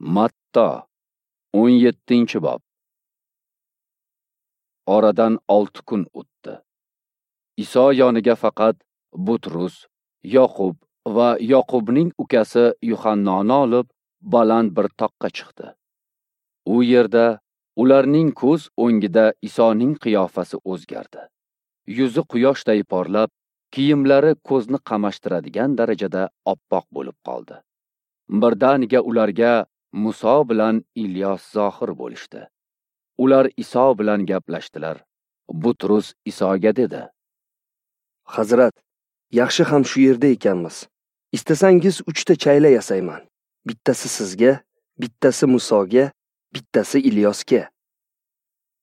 Matto 17-bob. Oradan 6 kun o'tdi. Iso yoniga faqat Butrus, Yoqub va Yoqubning ukasi Yuhannoni olib baland bir toqqa chiqdi. U yerda ularning ko'z o'ngida Isoning qiyofasi o'zgardi. Yuzi quyoshday porlab, kiyimlari ko'zni qamashtiradigan darajada oppoq bo'lib qoldi. Birdaniga ularga Muso bilan Ilyos zohir bo'lishdi. Ular Iso bilan gaplashdilar. Butrus Isoga dedi: Hazrat, yaxshi ham shu yerda ekanmiz. Istasangiz 3 ta chayla yasayman. Bittasi sizga, bittasi Musoga, bittasi Ilyosga.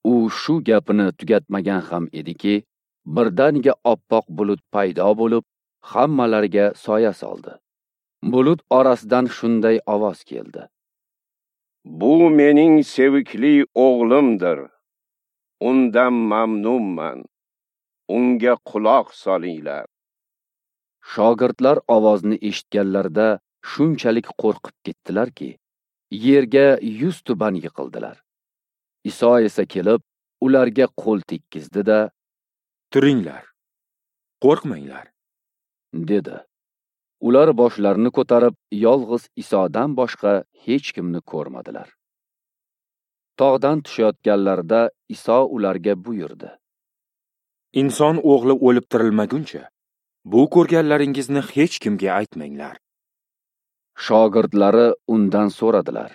U shu gapini tugatmagan ham ediki, birdaniga oppoq bulut paydo bo'lib, hammalariga soya soldi. Bulut orasidan shunday ovoz keldi: Bu mening sevikli o'g'limdir. Undan mamnunman. Unga quloq solinglar. Shogirdlar ovozni eshitganlarida shunchalik qo'rqib ketdilarki, yerga yuz tuban yiqildilar. Iso esa kelib, ularga qo'l tekkizdi-da, Turinglar, qo'rqmanglar, dedi. Ular boshlarini ko'tarib, yolg'iz Isodan boshqa hech kimni ko'rmadilar. Tog'dan tushayotganlarida Iso ularga buyurdi: Inson o'g'li o'lib tirilmaguncha, bu ko'rganlaringizni hech kimga aytmanglar. Shogirdlari undan so'radilar: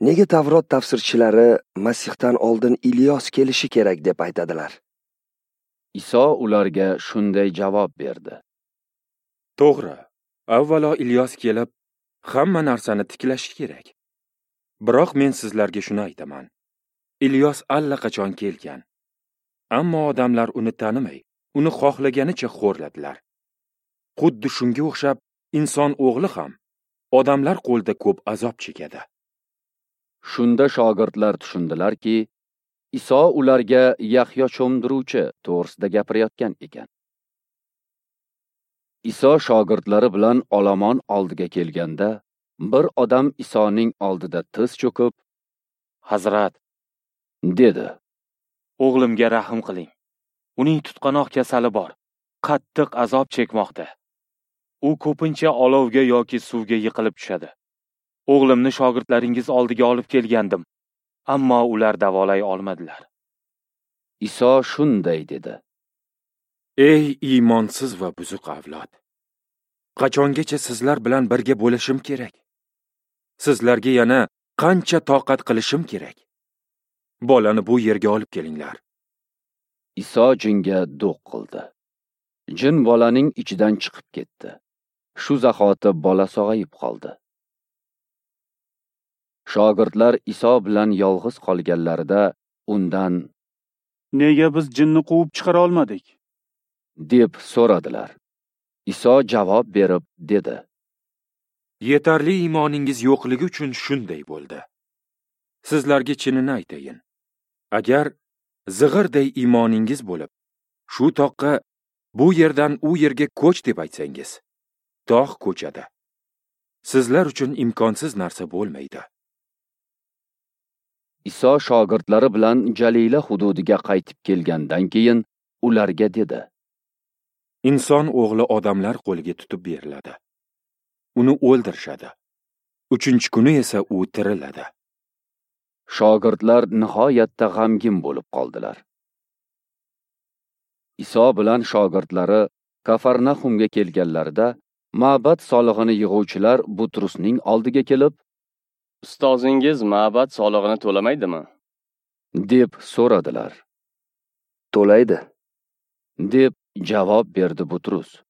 Nega Tavrot tafsirchilari Masihdan oldin Ilyos kelishi kerak deb aytadilar? Iso ularga shunday javob berdi: To'g'ri, avvalo Ilyos kelib, hamma narsani tiklashi kerak. Biroq men sizlarga shuni aytaman. Ilyos allaqachon kelgan. Ammo odamlar uni tanimay, uni xohlaganicha xo'rladilar. Xuddi shunga o'xshab inson o'g'li ham odamlar qo'lida ko'p azob chekadi. Shunda shogirdlar tushundilarki, Iso ularga Yahyo cho'mdiruvchi to'g'risida gapirayotgan ekan. Iso shogirdlari bilan olomon oldiga kelganda, bir odam Isoning oldida tiz cho'kib, Hazrat, dedi: O'g'limga rahm qiling. Uning tutqanoq kasali bor, qattiq azob chekmoqda. U ko'pincha olovga yoki suvga yiqilib tushadi. O'g'limni shogirdlaringiz oldiga olib kelgandim, ammo ular davolay olmadilar. Iso shunday dedi: Ey iymonsiz va buzuq avlod! Qachongacha sizlar bilan birga bo'lishim kerak? Sizlarga yana qancha toqat qilishim kerak? Bolani bu yerga olib kelinglar. Iso jinga do'q qildi. Jin bolaning ichidan chiqib ketdi. Shu zahoti bola sog'ayib qoldi. Shogirdlar Iso bilan yolg'iz qolganlarida undan: Nega biz jinni quvib chiqara olmadik? deb so'radilar. Iso javob berib dedi: Yetarli iymoningiz yo'qligi uchun shunday bo'ldi. Sizlarga chinini aytayin. Agar zig'irday iymoningiz bo'lib, shu toqqa bu yerdan u yerga ko'ch deb aytsangiz, tog' ko'chadi. Sizlar uchun imkonsiz narsa bo'lmaydi. Iso shogirdlari bilan Jalila hududiga qaytib kelgandan keyin ularga dedi: Inson o'g'li odamlar qo'liga tutib beriladi. Uni o'ldirishadi. 3-kuni esa u tiriladi. Shogirdlar nihoyatda g'amgin bo'lib qoldilar. Iso bilan shogirdlari Kafarnahumga kelganlarida ma'bad solig'ini yig'uvchilar Butrusning oldiga kelib, Ustozingiz ma'bad solig'ini to'lamaydimi? deb so'radilar. To'laydi, deb javob berdi Butrus.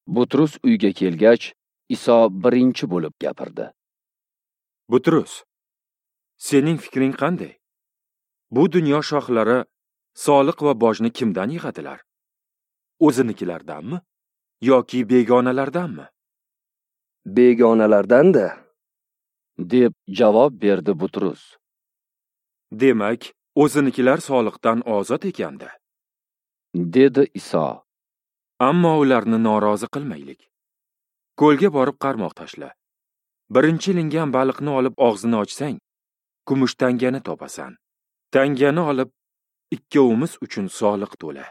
Butrus uyga kelgach, Iso birinchi bo'lib gapirdi. Butrus, sening fikring qanday? Bu dunyo shohlari soliq va bojni kimdan yig'adilar? O'zinikilardanmi yoki begonalardanmi? Begonalardan-da, deb javob berdi Butrus. Demak, o'zinikilar soliqdan ozod ekanda, dedi Iso. Ammo ularni norozi qilmaylik. Ko'lga borib qarmoq tashla. Birinchi ilingan baliqni olib og'zini ochsang, kumush tangani topasan. Tangani olib, ikkovimiz uchun soliq to'la.